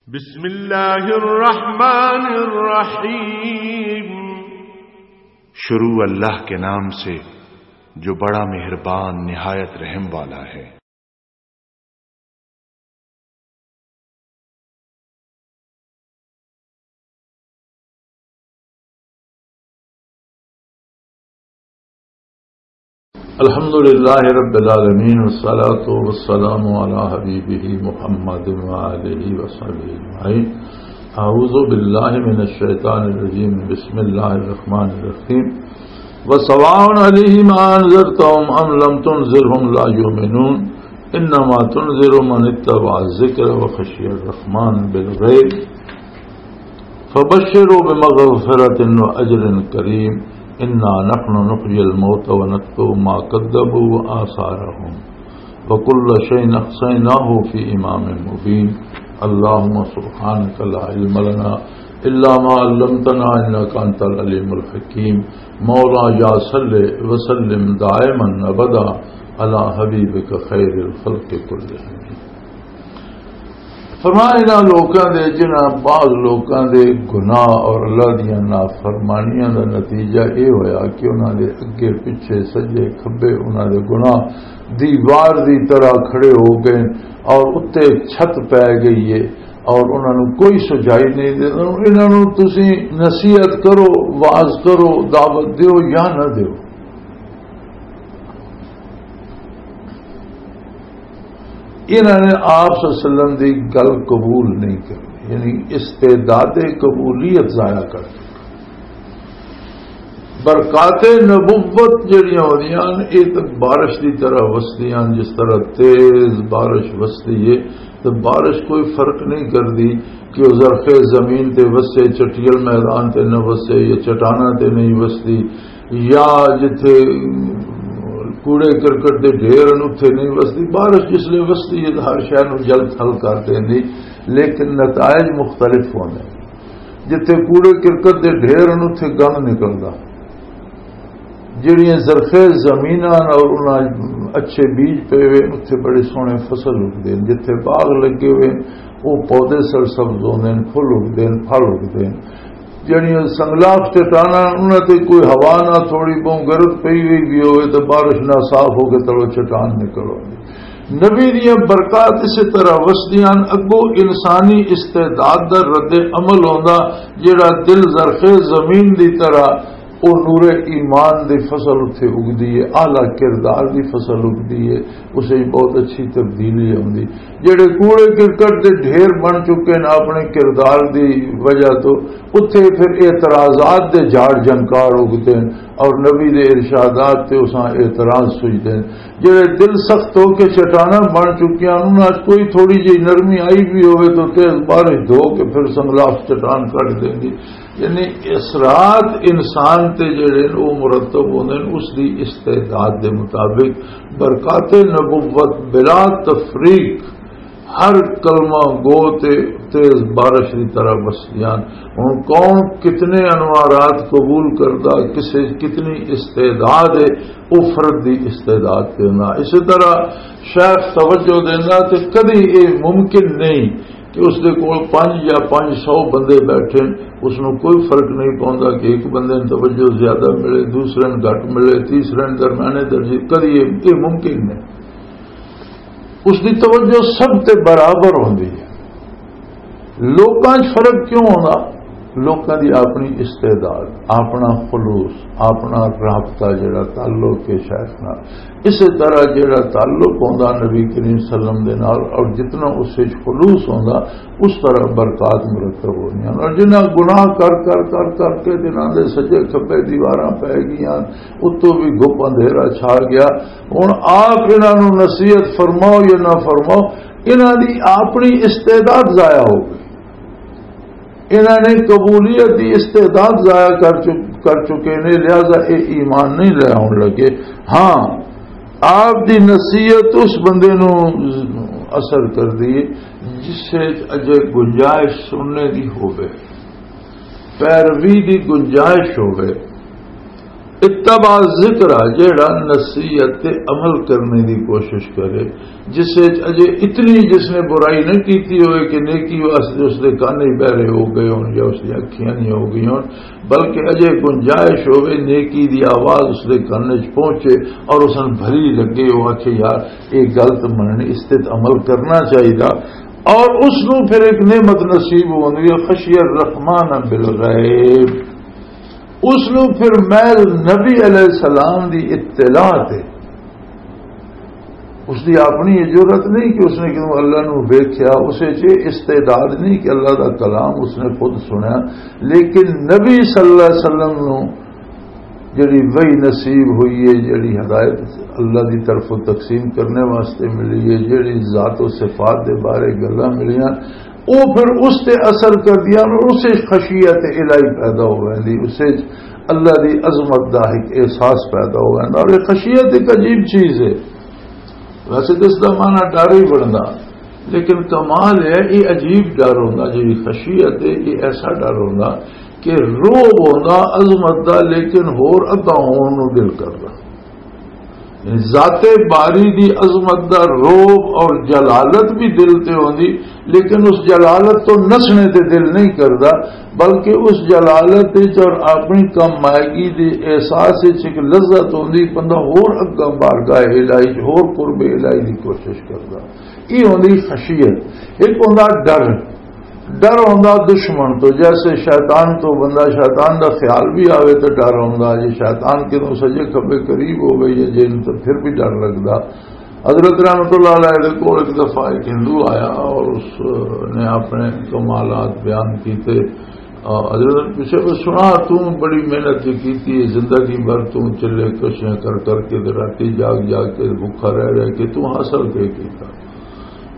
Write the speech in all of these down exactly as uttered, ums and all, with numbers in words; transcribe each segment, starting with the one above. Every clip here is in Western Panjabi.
بسم اللہ الرحمن الرحیم۔ شروع اللہ کے نام سے جو بڑا مہربان نہایت رحم والا ہے۔ الحمد لله رب العالمين، والصلاة والسلام على حبيبه محمد وآله وصحبه أجمعين. أعوذ بالله من الشيطان الرجيم. بسم الله الرحمن الرحيم. وسواء عليهم أأنذرتهم أم لم تنذرهم لا يؤمنون. إنما تنذر من اتبع الذكر وخشي الرحمن بالغيب. فبشروا بمغفرة وأجر كريم. إنا نحن نحيي الموتى ونكتب ما قدموا وآثارهم وكل شيء أحصيناه في إمام مبين. اللهم سبحانك لا علم لنا إلا ما علمتنا إنك أنت العليم الحكيم. مولا يا صل وسلم دائما أبدا على حبيبك خير الخلق كلهم. فرمایا، انہاں لوکاں دے، جنہاں بعض لوکاں دے گناہ اور اللہ دیاں نافرمانیاں دا نتیجہ اے ہویا کہ انہاں دے اگے پچھے، سجے کھبے، انہاں دے گناہ دیوار دی طرح کھڑے ہو گئے اور اُتے چھت پے گئی ہے اور انہاں نوں کوئی سجائی نہیں دے۔ انہاں نوں تسی نصیحت کرو، واز کرو، دعوت دیو یا نہ دیو۔ انہاں نے آپ صلی اللہ علیہ وسلم دی گل قبول نہیں کرنی، یعنی استعداد قبولیت ضائع کر دتی۔ برکات نبوت جڑیاں ہوندیاں ہن، اے تے بارش دی طرح وسدیاں ہن، جس طرح تیز بارش وسدی ہے، تے بارش کوئی فرق نہیں کردی کہ او زرخیز زمین تے وسے، چٹیل میدان تے نہ وسے، یا چٹاناں تے نہیں وسدی، یا جتھے کوڑے کرکٹ دے ڈھیر ہن، اتھے نہیں وسدی۔ بارش جس لے وسدی ہے، تے ہر شے نوں جل تھل کر دیندی، لیکن نتائج مختلف ہوندے۔ جتھے کوڑے کرکٹ دے ڈھیر ہن، اتھے گند نکلدا۔ جڑیاں زرخیز زمیناں ہن اور انہاں اچھے بیج پے ہوئے، اتھے بڑے سوہنے فصل اگدے ہن۔ جتھے باغ لگے ہوئے، وہ پودے سرسبز ہوندے ہن، پھل اگدے ہن، پھل اگدے ہن۔ جڑیاں سنگلاخ چٹاناں، انہاں تے کوئی ہوا نہ، تھوڑی بہت گرد پئی ہوئی بھی ہوئے تے بارش نہ، صاف ہو کے تلو چٹان نکل آندی۔ نبی دیاں برکات اسی طرح وسدیاں ہن۔ اگوں انسانی استعداد دا رد عمل ہوندا، جڑا دل زرخیز زمین دی طرح او نور ایمان دی فصل اتھے اگدی ہے، اعلیٰ کردار دی فصل اگدی ہے، اسے ہی بہت اچھی تبدیلی آندی۔ جڑے کوڑے کرکٹ دے ڈھیر بن چکے ہیں اپنے کردار دی وجہ تو، اتھے پھر اعتراضات دے جھاڑ جھنکار اگدے ہیں اور نبی دے ارشادات تے اساں اعتراض سجدے ہیں۔ جڑے دل سخت ہو کے چٹاناں بن چکیاں، انہاں 'چ کوئی تھوڑی جہی نرمی آئی بھی ہوئے تو تیز بارش دھو کے پھر سنگلاخ چٹان کڈ دیندی۔ یعنی اثرات انسان تے جڑے نے، وہ مرتب ہوندے نے اس دی استعداد دے مطابق۔ برکات نبوت بلا تفریق ہر کلمہ گو تے تیز بارش دی طرح بسدیاں۔ ہن کون کتنے انوارات قبول کردا، کسے کتنی استعداد ہے، او فرد دی استعداد تے ہونا۔ اسی طرح شیخ توجہ دینا تے کدی اے ممکن نہیں کہ اس دے کول پنج یا پنج سو بندے بیٹھے، اس نوں کوئی فرق نہیں پوندا کہ ایک بندے نوں توجہ زیادہ ملے، دوسرے نوں گھٹ ملے، تیسرے نوں درمیانے درجے، کدی یہ، یہ ممکن نہیں۔ اس دی توجہ سب تے برابر ہوندی ہے۔ لوکاں 'چ فرق کیوں ہوندا؟ لوکاں دی اپنی استعداد، اپنا خلوص، اپنا رابطہ جڑا تعلق ہے شیخ نال، اسے طرح جڑا تعلق ہوندا نبی کریم صلی اللہ علیہ وسلم دے نال، اور جتنا اس وچ خلوص ہوندا، اس طرح برکات مرتب ہوندیاں۔ اور جنہاں گناہ کر، کر، کر، کر کے جنہاں دے سجے کھبے دیواراں پے گئیاں، اتوں بھی گھپ اندھیرا چھا گیا۔ ہن آپ انہاں نوں نصیحت فرماؤ یا نہ فرماؤ، انہاں دی اپنی استعداد ضائع ہو گئی۔ انہاں نے قبولیت دی استعداد ضائع کر چک-، کر چکے نے، لہذا اے ایمان نہیں لے آن لگے۔ ہاں، آپ دی نصیحت اس بندے نوں اثر کر دی جس سے اجے گنجائش سننے دی ہووے، پیروی دی گنجائش ہووے۔ اتبع ذکر آ جیڑا نصیحت تے عمل کرنے دی کوشش کرے، جس وچ اجے اتنی جس نے برائی نہیں کیتی ہوئے کہ نیکی واسطے اس دے کان ہی بہرے ہو گئے ہون یا اس دی اکھیاں نہیں ہو گئی ہون، بلکہ اجے گنجائش ہوئے، نیکی دی آواز اس دے کان وچ پہنچے اور اس نوں بھلی لگے، وہ آکھے، "یار، یہ گل تے مننی، اس تے عمل کرنا چاہیدا۔" اور اس نوں پھر ایک نعمت نصیب ہوندی ہے، خشی الرحمن بالغیب۔ اس نوں پھر محض نبی علیہ السلام دی اطلاع تے، اس دی اپنی یہ جرات نہیں کہ اس نے کدوں اللہ نوں ویکھیا، اسے چ استعداد نہیں کہ اللہ دا کلام اس نے خود سنیا، لیکن نبی صلی اللہ علیہ وسلم نوں جڑی وحی نصیب ہوئی ہے، جڑی ہدایت اللہ دی طرفوں تقسیم کرنے واسطے ملی ہے، جڑی ذات و صفات دے بارے گلاں ملیاں، وہ پھر اس تے اثر کردیاں اور اسے خشیت الہی پیدا ہو ویندی، اسے اللہ دی عظمت دا ایک احساس پیدا ہو ویندا۔ اور یہ خشیت ایک عجیب چیز ہے۔ ویسے تو اس دا معنی ڈر ہی بندا، لیکن کمال ہے، یہ عجیب ڈر ہوندا۔ جی خشیت ہے، یہ ایسا ڈر ہوندا کہ روب ہوندا عظمت دا، لیکن ہور اگا ہون نو دل کردا۔ یعنی ذات باری دی عظمت دا روب اور جلالت بھی دل تے ہوندی، لیکن اس جلالت تو نسنے تے دل نہیں کردا، بلکہ اس جلالت وچ اور اپنی کم مائگی دے احساس وچ ایک لذت ہوندی، بندہ ہور اگا بارگاہ الہی چ ہور قرب الہی دی کوشش کردا۔ یہ ہوندی خشیت۔ ایک ہوندا ڈر، ڈر ہوندا دشمن تو، جیسے شیطان تو بندہ، شیطان دا خیال بھی آوے تو ڈر ہوندا، جے شیطان کدوں سجے کھبے قریب ہو گئی ہے جن تو پھر بھی ڈر لگدا۔ حضرت رحمت اللہ علیہ دے کول ایک دفعہ ایک ہندو آیا اور اس نے اپنے کمالات بیان کیتے۔ آ، حضرت نے پوچھا کہ سنا، تو بڑی محنت بھی کیتی ہے، زندگی بھر تو چلے کشیاں کر کر کے تے راتی جاگ جاگ کے بھوکا رہ رہ کے تو حاصل کے کیتا؟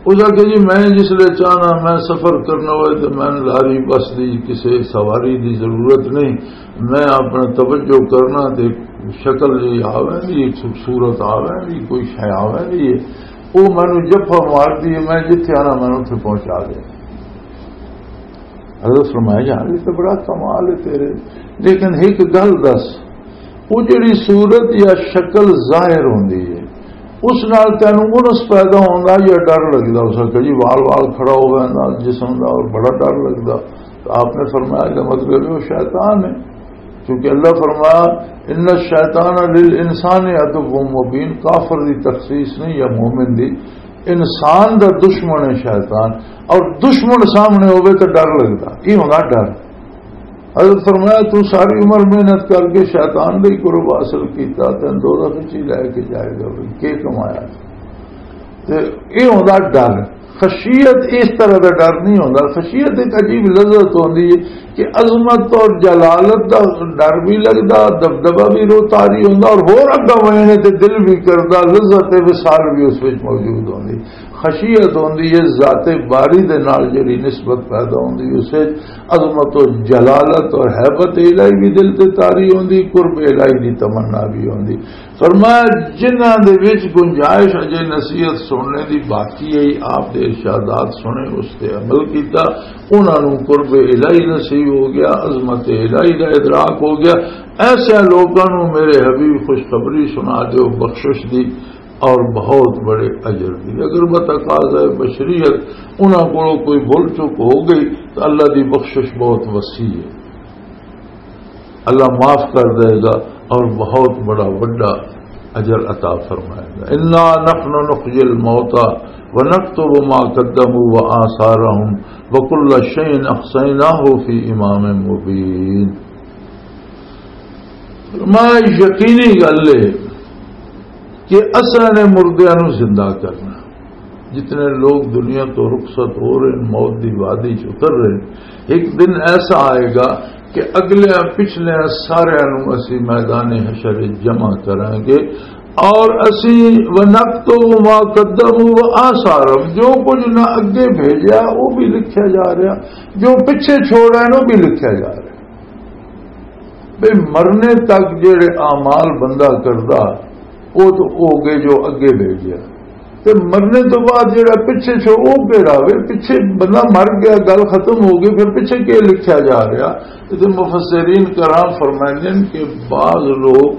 اس آکھیا، جی میں جس لے چاہنا، میں سفر کرنا ہوئے تو میں لاری بس دی کسے سواری دی ضرورت نہیں، میں اپنا توجہ کرنا تے شکل جی آوے دی، خوبصورت آوے دی، کوئی شے آوے دی، وہ مینوں جفا مار دی، میں جتھے آنا مینوں اتھے پہنچا دے۔ حضرت فرمایا، یار، یہ تو بڑا کمال ہے تیرے، لیکن ایک گل دس، وہ جڑی صورت یا شکل ظاہر ہوندی ہے، اس نال تینوں انس پیدا ہوندا یا ڈر لگدا؟ اس آکھیا، جی، وال وال کھڑا ہو ویندا جسم دا اور بڑا ڈر لگدا۔ تو آپ نے فرمایا کہ مطلب ہے وہ شیطان ہے، کیونکہ اللہ فرمایا، ان الشیطان للانسان عدو مبین، کافر دی تخصیص نہیں یا مومن دی، انسان دا دشمن ہے شیطان، اور دشمن سامنے ہوئے تو ڈر لگدا، یہ ہونا ڈر۔ حضرت فرمایا، تو ساری عمر محنت کر کے شیطان دے قرب حاصل کیتا، تین دوزخ وچ ہی لے کے جائے گا، بھئی، کی کمایا؟ تے یہ ہوندا ڈر۔ خشیت اس طرح دا ڈر نہیں ہوندا۔ خشیت ایک عجیب لذت ہوندی ہے کہ عظمت اور جلالت دا ڈر بھی لگدا، دبدبہ بھی رو طاری ہوندا، اور ہور اگا وینے تے دل بھی کردا، لذت وصال بھی اس وچ موجود ہوندی۔ خشیت ہوندی ہے ذات باری دے نال جڑی نسبت پیدا ہوندی، اس وچ عظمت و جلالت اور ہیبت الہی بھی دل تے طاری ہوندی، قرب الہی دی تمنا بھی ہوندی۔ فرمایا، جنہاں دے وچ گنجائش اجے نصیحت سننے دی باقی ہے، آپ دے ارشادات سنے، اس تے عمل کیتا، انہاں نوں قرب الہی نصیب ہو گیا، عظمت الہی دا ادراک ہو گیا۔ ایسے لوکاں نوں میرے حبیب خوشخبری سنا دیو بخشش دی اور بہت بڑے اجر دی۔ اگر بتقاضۂ بشریت انہاں کولوں کوئی بھول چوک ہو گئی تو اللہ دی بخشش بہت وسیع ہے۔ اللہ معاف کر دے گا اور بہت بڑا وڈا اجر عطا فرمائے گا۔ انا نحن نحیی الموتى ونکتب ما قدموا وآثارهم وکل شیء احصیناہ فی امام مبین۔ فرمایا، یقینی گل ہے کہ اساں نے مردیاں نوں زندہ کرنا۔ جتنے لوگ دنیا تو رخصت ہو رہے ہیں، موت دی وادی چ اتر رہے ہیں، ایک دن ایسا آئے گا کہ اگلے پچھلے سارے نوں اسی میدان حشر وچ جمع کریں گے اور اسی ونکتب ما قدموا وآثارهم، جو کچھ نہ اگے بھیجا وہ بھی لکھیا جا رہا، جو پچھے چھوڑا ہے وہ بھی لکھیا جا رہا۔ بھئی مرنے تک جڑے اعمال بندہ کردا، وہ تو ہو گئے جو اگے بھیجیا۔ تے مرنے تو بعد جڑا پچھے چھو، او کیڑا وے؟ پچھے بندہ مر گیا، گل ختم ہو گئی، پھر پچھے کی لکھیا جا رہا؟ تے مفسرین کرام فرمائندے نے کہ بعض لوگ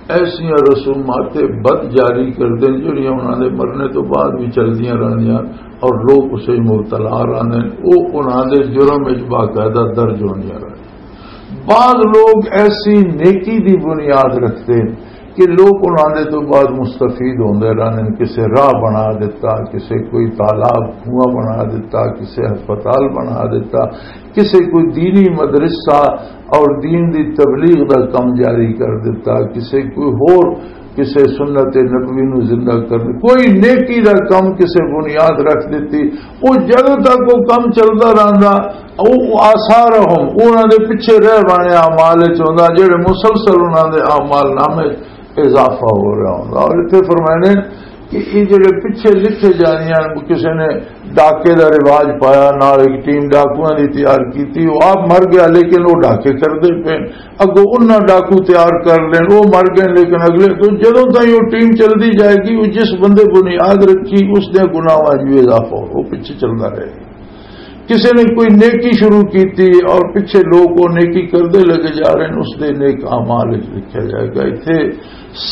ایسیاں رسومات بد جاری کردے نے، جڑیاں انہاں دے مرنے تو بعد بھی چلدیاں رہندیاں اور لوگ اسے مبتلا رہندے نے، او انہاں دے جرم وچ باقاعدہ درج ہوندیاں رہندیاں۔ بعض لوگ ایسی نیکی دی بنیاد رکھتے ہیں کہ لوگ انہاں دے تو بعد مستفید ہوندے رہندے نے، کسے راہ بنا دیتا، کسے کوئی تالاب کنواں بنا دیتا، کسے ہسپتال بنا دیتا، کسے کوئی دینی مدرسہ اور دین دی تبلیغ دا کم جاری کر دیتا، کسے کوئی ہور، کسے سنت نبوی نو زندہ کرنے، کوئی نیکی دا کم کسے بنیاد رکھ دیتی۔ وہ جدوں تک وہ کم چلدا رہندا، او آثارہم، انہاں دے پیچھے رہ بانے اعمال وچ ہوندا، جڑے مسلسل انہاں دے اعمال نامے اضافہ ہو رہا ہوندا۔ اور اتنے فرمائے نے کہ یہ جڑے پیچھے لکھے جانے ہیں، کسی نے ڈاکے دا رواج پایا، نال ایک ٹیم ڈاکوؤں دی تیار کیتی، وہ آپ مر گیا، لیکن وہ ڈاکے کردے پے۔ اگوں انہاں ڈاکو تیار کر لین، وہ مر گئے، لیکن اگلے تو جدوں تائیں وہ ٹیم چلدی جائے گی، وہ جس بندے بنیاد رکھی، اس دے گناہاں جو اضافہ ہو، وہ پیچھے چلدا رہے گا۔ کسی نے کوئی نیکی شروع کیتی اور پیچھے لوگ وہ نیکی کردے لگے جا رہے ہیں، اس دے نیک اعمال وچ لکھا جائے گا۔ اتھے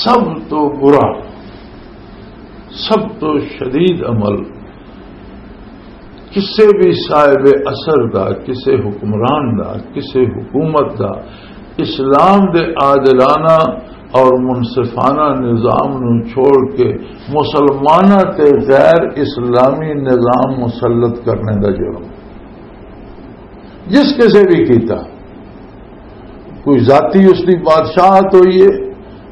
سب تو برا، سب تو شدید عمل کسے بھی صاحب اثر دا، کسے حکمران دا، کسے حکومت دا اسلام دے عادلانہ اور منصفانہ نظام نو چھوڑ کے مسلماناں تے غیر اسلامی نظام مسلط کرنے دا جرم، جس کسے بھی کیتا، کوئی ذاتی اس دی بادشاہت ہوئی ہے،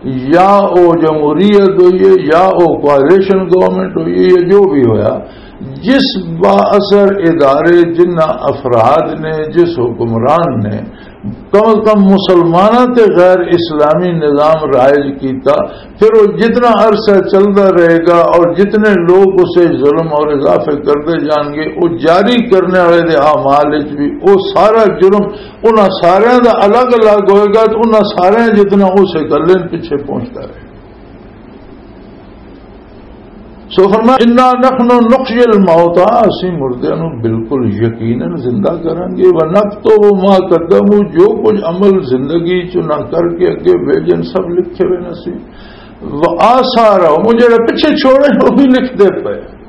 یا او جمہوریت ہوئی ہے، یا او کوآلیشن گورنمنٹ ہوئی ہے، یا جو بھی ہویا، جس با اثر ادارے، جنہ افراد نے، جس حکمران نے کم از کم مسلمانوں تے غیر اسلامی نظام رائج کیتا، پھر وہ جتنا عرصہ چلتا رہے گا اور جتنے لوگ اسے ظلم اور اضافے کرتے جان گے، وہ جاری کرنے والے دے اعمال وچ بھی وہ سارا جرم انہاں سارے دا الگ الگ ہوئے گا، تو انہاں سارے جتنا اسے گلے پیچھے پہنچتا رہے۔ سو فرمایا، "انا نحن نحیی الموتى"، اسی مردے نو بالکل یقیناً زندہ کریں گے، "ونکتب ما قدموا"، جو کچھ عمل زندگی چ نہ کر کے اگے بھیجن، سب لکھے ہوئے نے سی، "وآثارهم"، وہ جڑا پیچھے چھوڑے، وہ بھی لکھ دے پے۔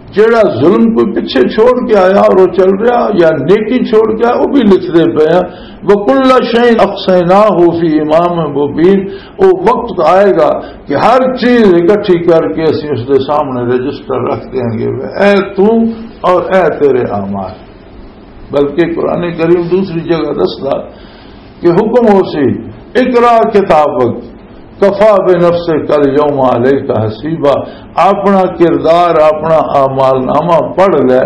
جڑا ظلم کوئی پیچھے چھوڑ کے آیا اور وہ چل رہا، یا نیکی چھوڑ کے آیا، وہ بھی لکھ دے پے ہیں۔ "وکل شیء احصیناہ فی امام مبین"، وہ وقت آئے گا کہ ہر چیز اکٹھی کر کے اسی اس دے سامنے رجسٹر رکھ دیں گے، اے تو اور اے تیرے اعمال۔ بلکہ قرآن کریم دوسری جگہ دسدا کہ حکم ہو سی، "اقرا کتابک کفا بنفسک الیوم علیک حسیبا"، اپنا کردار، اپنا اعمال نامہ پڑھ لے،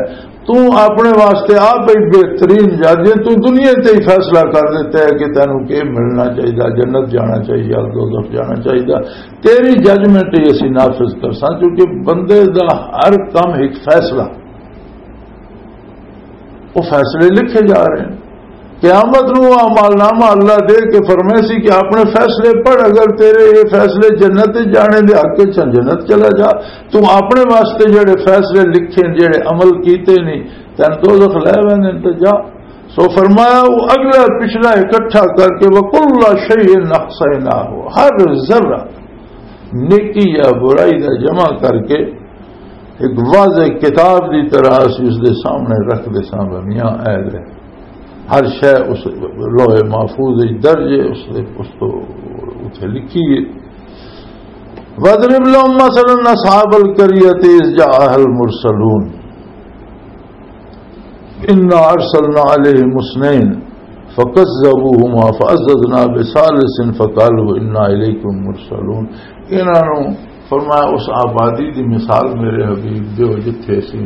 تو اپنے واسطے آپ ہی بہترین جج ہے۔ تو دنیا تے ہی فیصلہ کر دیتا ہے کہ تینوں کی ملنا چاہیے، جنت جانا چاہیے یا دوزخ جانا چاہیے، تیری ججمنٹ ہی اسی نافذ کرساں، کیونکہ بندے دا ہر کم ایک فیصلہ، وہ فیصلے لکھے جا رہے ہیں۔ قیامت نو وہ اعمال نامہ اللہ دے کے فرمائے سی کہ اپنے فیصلے پڑھ، اگر تیرے یہ فیصلے جنت جانے دے حق وچ ہن، جنت چلا جا۔ تو اپنے واسطے جڑے فیصلے لکھے، جڑے عمل کیتے نہیں، تین دوزخ لے ویندے نے، تے جا۔ سو فرمایا، وہ اگلا پچھلا اکٹھا کر کے، "وکل شیء احصیناہ"، ہر ذرہ نیکی یا برائی دا جمع کر کے ایک واضح کتاب دی طرح اسی اس دے سامنے رکھ دے ساں، میاں اے لے، ہر شے اس لوح محفوظ وچ درج ہے، اس دے، اس تو اتھے لکھی ہے۔ "وَاضْرِبْ لَهُمْ مَثَلًا أَصْحَابَ الْقَرْيَةِ إِذْ جَاءَهَا الْمُرْسَلُونَ إِنَّا أَرْسَلْنَا عَلَيْهِمُ اثْنَيْنِ فَكَذَّبُوهُمَا فَعَزَّزْنَا بِثَالِثٍ فَقَالُوا إِنَّا إِلَيْكُمْ مُرْسَلُونَ"۔ انہاں نوں فرمایا، اس آبادی دی مثال میرے حبیب دیو، جتھے اسی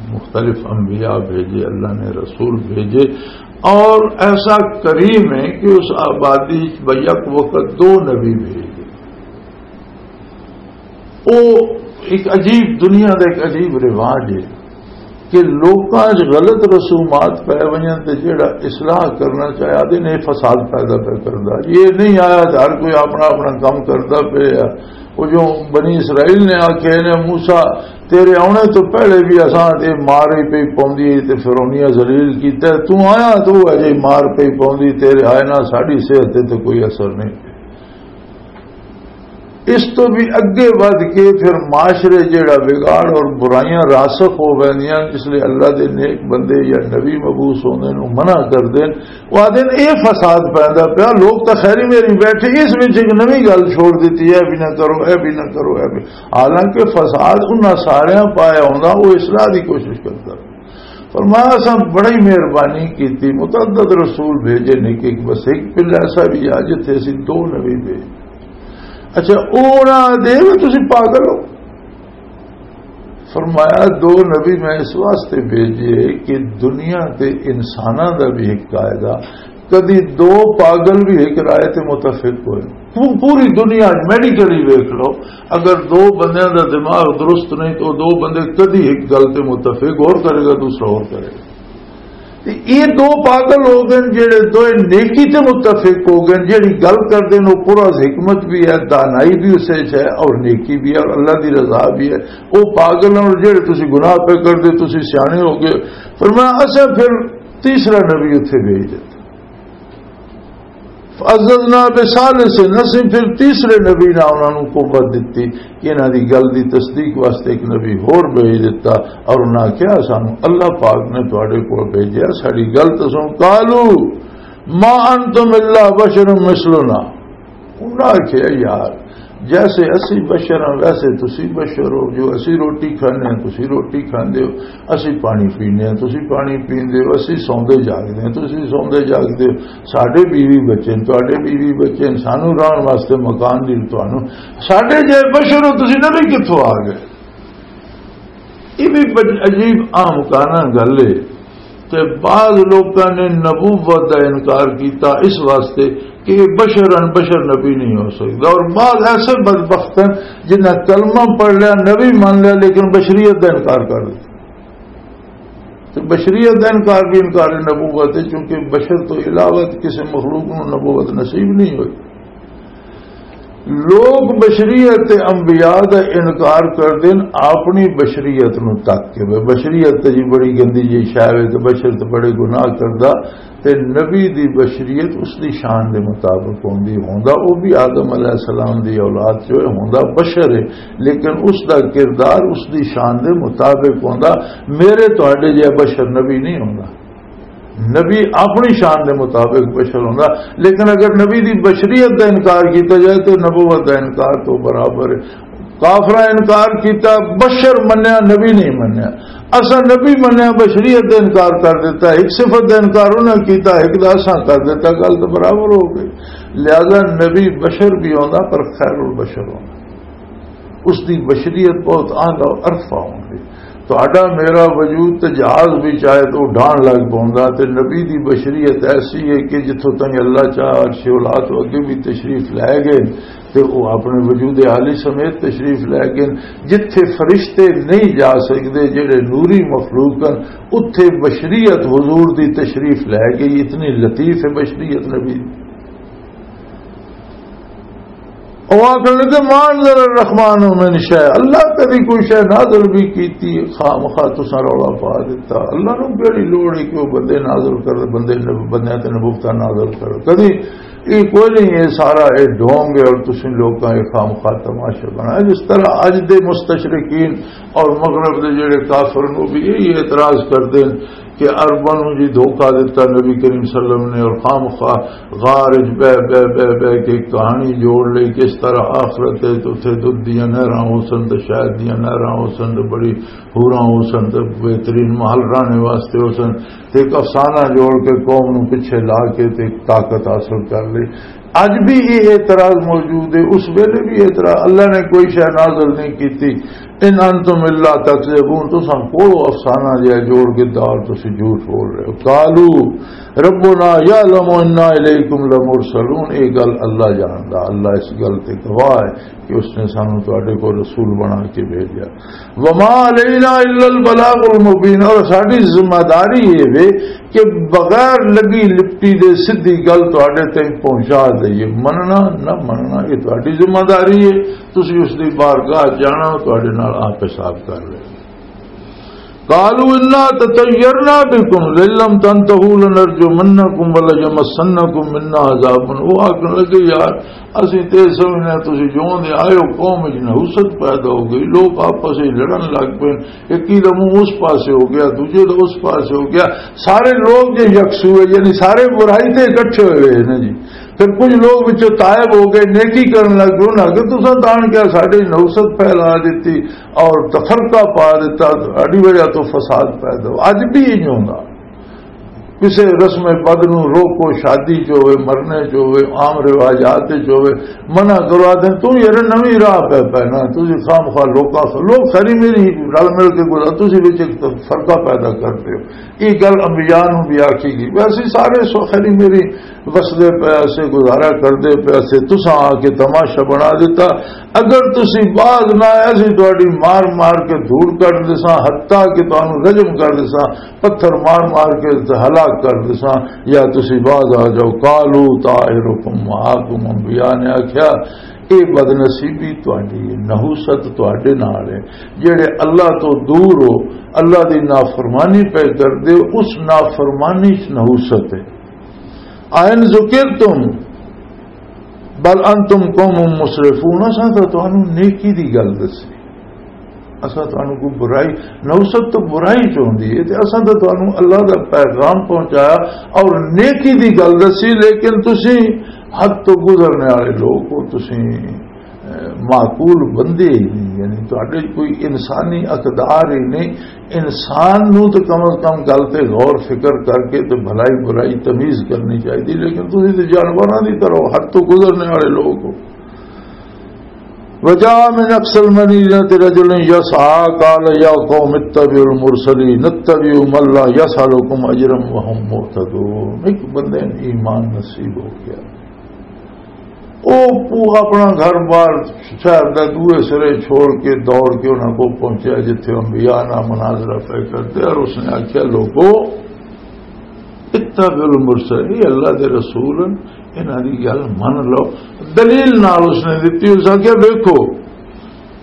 مختلف انبیاء بھیجے، اللہ نے رسول بھیجے، اور ایسا کریم ہے کہ اس آبادی وچ بیک وقت دو نبی بھیجے۔ او ایک عجیب، دنیا دا ایک عجیب رواج ہے کہ لوکاں وچ غلط رسومات پے ونجن تے جڑا اصلاح کرنا چاہے، آدھے نے فساد پیدا پہ کردا۔ یہ نہیں آیا تے ہر کوئی اپنا اپنا کام کردا پیا۔ وہ جو بنی اسرائیل نے آکھے نے، "موسیٰ، تیرے آنے تو پہلے بھی اساں تے مار ہی پئی پوندی ہے تے فرعونیہ ذلیل کیتا ہے، تو آیا تو وہ اجے مار پئی پوندی، تیرے آئے نہ ساڈی صحت تے تو کوئی اثر نہیں۔" اس تو بھی اگے ودھ کے پھر معاشرے جیڑا بگاڑ اور برائیاں راسخ ہو ویندیاں، اس لیے اللہ دے نیک بندے یا نبی مبعوث ہوندے نوں منع کر دین۔ وہ آدھے نے، "یہ فساد پیندا پیا، لوگ تاں خیری میری بیٹھے، اس وچ ایک نویں گل چھوڑ دتی ہے، بھی نہ کرو، اے بھی نہ کرو، اے بھی۔" حالانکہ فساد انہاں ساریاں پایا ہوندا، وہ اصلاح دی کوشش کردا۔ فرمایا، "اساں بڑی مہربانی کیتی، متعدد رسول بھیجے نے کہ بس ایک پلہ ایسا بھی آ جتھے اسی دو نبی بھیج۔" اچھا، او نہ دے، تسی پاگل ہو؟ فرمایا، "دو نبی میں اس واسطے بھیجے کہ دنیا تے انساناں دا بھی ایک قاعدہ، کدی دو پاگل بھی ایک رائے تے متفق ہوئے۔" پو-، پوری دنیا میڈیکلی ویکھ لو، اگر دو بندیاں دا دماغ درست نہیں تو دو بندے کدی ایک گل تے متفق، اور کرے گا، دوسرا اور کرے گا۔ تے یہ دو پاگل ہو گئے، جڑے دوئے نیکی تے متفق ہو گئے، جڑی گل کردے نے، وہ پورا حکمت بھی ہے، دانائی بھی اسے چ ہے، اور نیکی بھی ہے، اور اللہ دی رضا بھی ہے۔ وہ پاگل ہیں، اور جڑے تسی گناہ پہ کردے، تسی سیانے ہو گئے۔ فرمایا، اساں پھر تیسرا نبی اتھے بھیج دتا۔ فعززنا بثالث، اسیں پھر تیسرے نبی نال انہاں نوں قوت دتی کہ انہاں دی گل دی تصدیق واسطے ایک نبی ہور بھیج دتا، اور انہاں کہیا، "سانوں اللہ پاک نے تواڈے کول بھیجیا، ساڈی گل تے سن۔" قالوا ما انتم الا بشر مثلنا۔ انہاں آکھیا، "یار، جیسے اسی بشر ہاں، ویسے تسی بشر ہو، جو اسی روٹی کھانے ہاں، تسی روٹی کھاندے ہو، اسی پانی پینے ہاں، تسی پانی پیندے ہو، اسی سوندے جاگدے ہاں، تسی سوندے جاگدے ہو، ساڈے بیوی بچے نے، تواڈے بیوی بچے نے، سانوں رہن واسطے مکان دی تانوں، ساڈے جے بشر ہو، تسی نبی کتھوں آ گئے؟" یہ بھی بڑی عجیب اہم کانا گل ہے کہ بعض لوکاں نے نبوت دا انکار کیتا اس واسطے کہ یہ بشر ان بشر نبی نہیں ہو سکتا، اور بعض ایسے بدبخت ہیں جنہاں کلمہ پڑھ لیا، نبی مان لیا، لیکن بشریت دا انکار کر دیا۔ تو بشریت دا انکار بھی انکار نبوت ہے، چونکہ بشر تو علاوہ کسی مخلوق نوں نبوت نصیب نہیں ہوئی۔ لوگ بشریت تے انبیاء دا انکار کر دین، اپنی بشریت نو تک کے، بے بشریت تے جی بڑی گندی جی شے وے، تے بشر تے بڑے گناہ کردا، تے نبی دی بشریت اس دی شان دے مطابق ہوندی، ہوندا او بھی آدم علیہ السلام دی اولاد چ ہوئے، ہوندا بشر ہے، لیکن اس دا کردار اس دی شان دے مطابق ہوندا۔ میرے تہاڈے جے بشر نبی نہیں ہوندا۔ نبی اپنی شان دے مطابق بشر ہوندا، لیکن اگر نبی دی بشریت دا انکار کیتا جائے تو نبوت دا انکار تو برابر ہے۔ کافراں انکار کیتا، بشر منیا، نبی نہیں منیا۔ اساں نبی منیا، بشریت دا انکار کر دیتا، ایک صفت دا انکار انہاں کیتا، ایک دا اساں کر دیتا، گل تو برابر ہو گئی۔ لہذا نبی بشر بھی ہوندا، پر خیر البشر ہوندا۔ اس دی بشریت بہت اعلیٰ و ارفع ہوندی۔ تہاڈا میرا وجود تے جہاز بھی چاہے تو اڈان لگ پوندا، تے نبی دی بشریت ایسی ہے کہ جتھوں تائیں اللہ چاہے عرش اولا تو اگے بھی تشریف لے گئے، تے او اپنے وجود عالی سمیت تشریف لے گئے۔ جتھے فرشتے نہیں جا سکدے، جڑے نوری مخلوق ہیں، اتھے بشریت حضور دی تشریف لے گئی۔ اتنی لطیف ہے بشریت نبی دی۔ او آکھن لگے، "ما انزل الرحمن من شیء"، اللہ کدی کوئی شے نازل بھی کیتی ہے؟ خام خواہ تساں رولا پا دیتا۔ اللہ نو کیڑی لوڑ ہے کہ وہ بندے نازل کر، بندے نب-، بندیاں تے نبوتاں نازل کر؟ کدی یہ کوئی نہیں، یہ سارا یہ ڈھونگ ہے اور تسیں لوکاں یہ خام خواہ تماشا بنایا۔ جس طرح اج دے مستشرقین اور مغرب دے جڑے کافر نو بھی یہی اعتراض کردے ہیں کہ عرباں نوں جی دھوکا دتا نبی کریم صلی اللہ علیہ وسلم نے، اور خام خواہ غار وچ بہ، بہ، بہ، بہ کے کہانی جوڑ لئی، کس طرح آخرت ہے تے اتھے دودھ دیاں نہراں ہو سن تے شہد دیاں نہراں ہو سن تے بڑی حوراں ہو سن تے بہترین محل رہنے واسطے ہو سن، تے ایک افسانہ جوڑ کے قوم نوں پیچھے لا کے تے ایک طاقت حاصل کر لئی۔ اج بھی یہ اعتراض موجود ہے، اس ویلے بھی اعتراض، اللہ نے کوئی شے نازل نہیں کیتی۔ "ان انتم الا تکذبون"، تساں کوڑو افسانہ جہا جوڑ کے دال، تسی جھوٹ بول رہے ہو۔ "قالوا ربنا یعلم انا الیکم لمرسلون"، یہ گل اللہ جاندا، اللہ اس گل تے گواہ ہے کہ اس نے سانو تواڈے کو رسول بنا کے بھیجا۔ "وما علینا الا البلاغ المبین"، اور ساڈی ذمہ داری یہ وے کہ بغیر لگی لپٹی دے سدھی گل تواڈے تائیں پہنچا دئیے۔ مننا نہ مننا، یہ تواڈی ذمہ داری ہے۔ تسی اس دی بارگاہ جانا، تواڈے نال آپ حساب کر لے۔ قالوا انا تطیرنا بکم لئن لم تنتهوا لنرجمنکم وليمسنکم منا عذاب۔ وہ آکھن لگے، یار، اسی تے سمجھنے تسی جون دے آئے ہو، قوم وچ نحوست پیدا ہو گئی، لوگ آپس وچ لڑن لگ پے، ایک ہی دا منہ اس پاسے ہو گیا، دوجے دا اس پاسے ہو گیا، سارے لوگ جے یکسو ہے، یعنی سارے برائی تے اکٹھے ہوئے ہیں نا جی۔ پھر کچھ لوگ وچوں تائب ہو گئے، نیکی کرن لگ گئے، انہاں کہ تساں تان کیا ساڈے نحوست پھیلا دتی اور تفرقہ پا دتا، ساڈی وجہ تو فساد پیدا ہو۔ اج بھی انج ہوندا، کسے رسم بد نو روکو، شادی چ ہوئے، مرنے چ ہوئے، عام رواجات چ ہوئے، منع کروا دیں، تو یار نویں راہ پہ پینا، تسی خام خواہ لوکاں سے، لوگ ساری میری رل مل کے گزار، تسی وچ ایک فرقہ پیدا کرتے ہو۔ یہ گل انبیاء نو بھی آکھی گئی۔ ویسے سارے سو خیری میری وسدے پے اسے، گزارا کردے پے اسے، تساں آ کے تماشا بنا دیتا۔ اگر تسی باز نہ آئے، اسی تہاڈی مار مار کے دھوڑ کر دیساں، حتیٰ کہ تانوں رجم کر دیساں، پتھر مار مار کے ہلاک کر دیساں، یا تسی باز آ جاؤ۔ قالوا طائرکم معکم، انبیاء نے آکھیا، اے بدنصیبی تہاڈی ہے، نحوست تہاڈے نال ہے۔ جڑے اللہ تو دور ہو، اللہ دی نافرمانی پہ کردے ہو، اس نافرمانی چ نحوست ہے۔ "اَئِن ذُكِرْتُمْ بَلْ أَنْتُمْ قَوْمٌ مُسْرِفُونَ"، اساں تاں تانوں نیکی دی گل دسی، اساں تانوں کوئی برائی، نحوست تو برائی چ ہوندی ہے، تے اساں تاں تانوں اللہ دا پیغام پہنچایا اور نیکی دی گل دسی، لیکن تسی حد تو گزرنے والے لوگ ہو، تسی معقول بندے ہی نہیں، یعنی تہاڈے کوئی انسانی اقدار ہی نہیں۔ انسان نو تے کم از کم گل تے غور فکر کر کے تے بھلائی برائی تمیز کرنی چاہیے، لیکن تسی تے جانوراں دی طرح حد تو گزرنے والے لوگ ہو۔ وجاء من اقصى المدينة رجل يسعى قال يا قوم اتبعوا المرسلين اتبعوا من لا يسألكم أجرا وهم مهتدون۔ ایک بندے نے ایمان نصیب ہو گیا، او پو-، اپنا گھر بار شہر دا دوئے سرے چھوڑ کے دوڑ کے انہاں کو پہنچیا جتھے انبیاء نال مناظرہ پہ کرتے، اور اس نے آکھیا، "لوگو، اتبعوا المرسلین، یہ اللہ دے رسول ہیں، انہاں دی گل من لو۔" دلیل نال اس نے دتی، اس آکھیا، "دیکھو،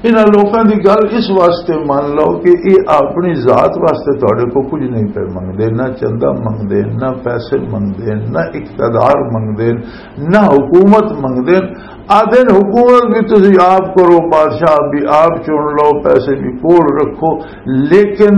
انہاں لوکاں دی گل اس واسطے من لو کہ یہ اپنی ذات واسطے تہاڈے کو کچھ نہیں پہ منگدے، نہ چندہ منگدے، نہ پیسے منگدے، نہ اقتدار منگدے، نہ حکومت منگدے۔ آدھے حکومت بھی تسی آپ کرو، بادشاہ بھی آپ چن لو، پیسے بھی کول رکھو، لیکن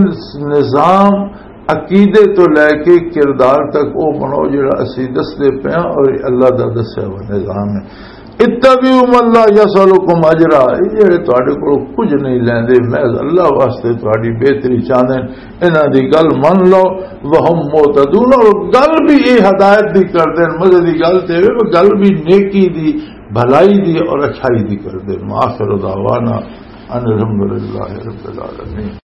نظام عقیدے تو لے کے کردار تک او بنو جڑا اسی دسدے پئے ہاں، اور یہ اللہ دا دسیا ہوا نظام ہے۔ اتبعوا من لا يسألكم أجرا، یہ جڑے تہاڈے کولوں کچھ نہیں لیندے، محض اللہ واسطے تہاڈی بہتری چاہندے، انہاں دی گل من لو۔ وهم مهتدون، اور گل بھی یہ ہدایت دی کردے، مزے دی گل تے وے، گل بھی نیکی دی، بھلائی دی اور اچھائی دی کردے۔ وآخر دعوانا ان الحمد للہ رب العالمین۔